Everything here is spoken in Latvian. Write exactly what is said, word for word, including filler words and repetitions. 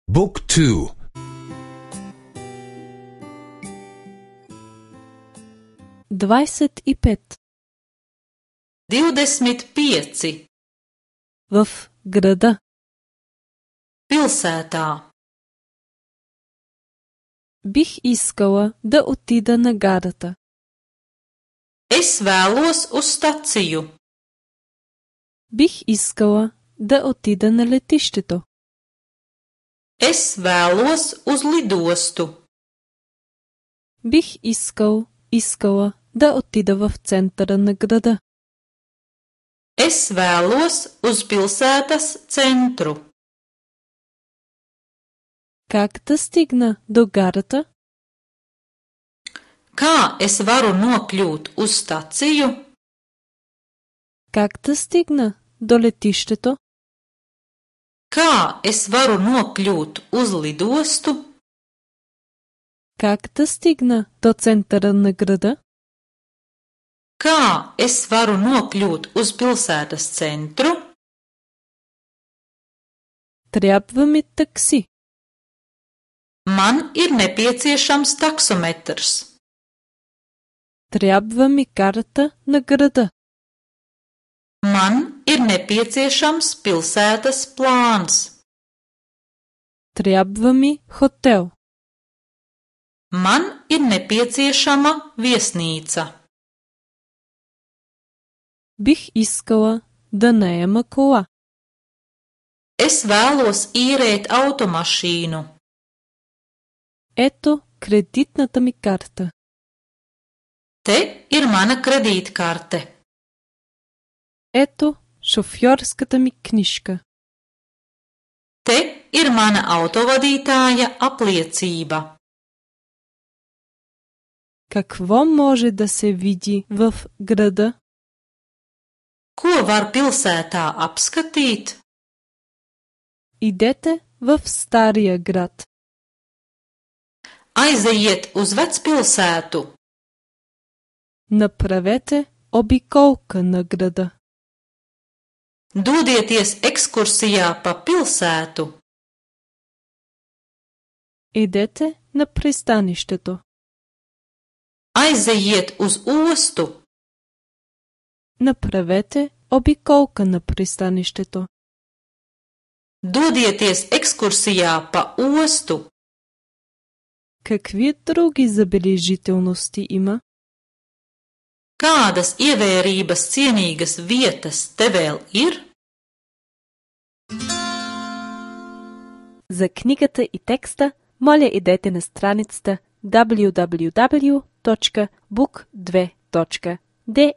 Book two. Двадесет и пет. Divdesmit pieci. В града. Pilsētā. Бих искала да отида на гарата. Es vēlos uz staciju. Бих искала да отида на летището. Es vēlos uz lidostu. Бих искал, искала да отида в центъра на града. Es vēlos uz pilsētas centru. Как да стигна до гарата? Kā es varu nokļūt uz staciju? Как да стигна до летището? Kā es varu nokļūt uz lidostu? Как да стигна до центъра на града? Kā es varu nokļūt uz pilsētas centru? Трябва ми такси. Man ir nepieciešams taksometrs. Трябва ми карта на града. Man ir nepieciešams pilsētas plāns. Трябва ми хотел. Man ir nepieciešama viesnīca. Бих искала да наема кола. Es vēlos īrēt automašīnu. Ето кредитната ми карта. Te ir mana kredītkarte. Ето шофьорската ми книжка. Te ir mana autovadītāja apliecība. Какво може да се види в града? Ko var pilsētā apskatīt? Идете в стария град. Aizejiet uz vecpilsētu. Направете обиколка на града. Dodieties ekskursijā pa pilsētu. Идете на пристанището. Aizejiet uz ostu. Направете обиколка на пристанището. Dodieties ekskursijā pa ostu. Какви други забележителности има? Kādas ievērības cienīgas vietas te vēl ir? За книгата и текста, моля идете на страницата дабълю дабълю дабълю точка бук две точка де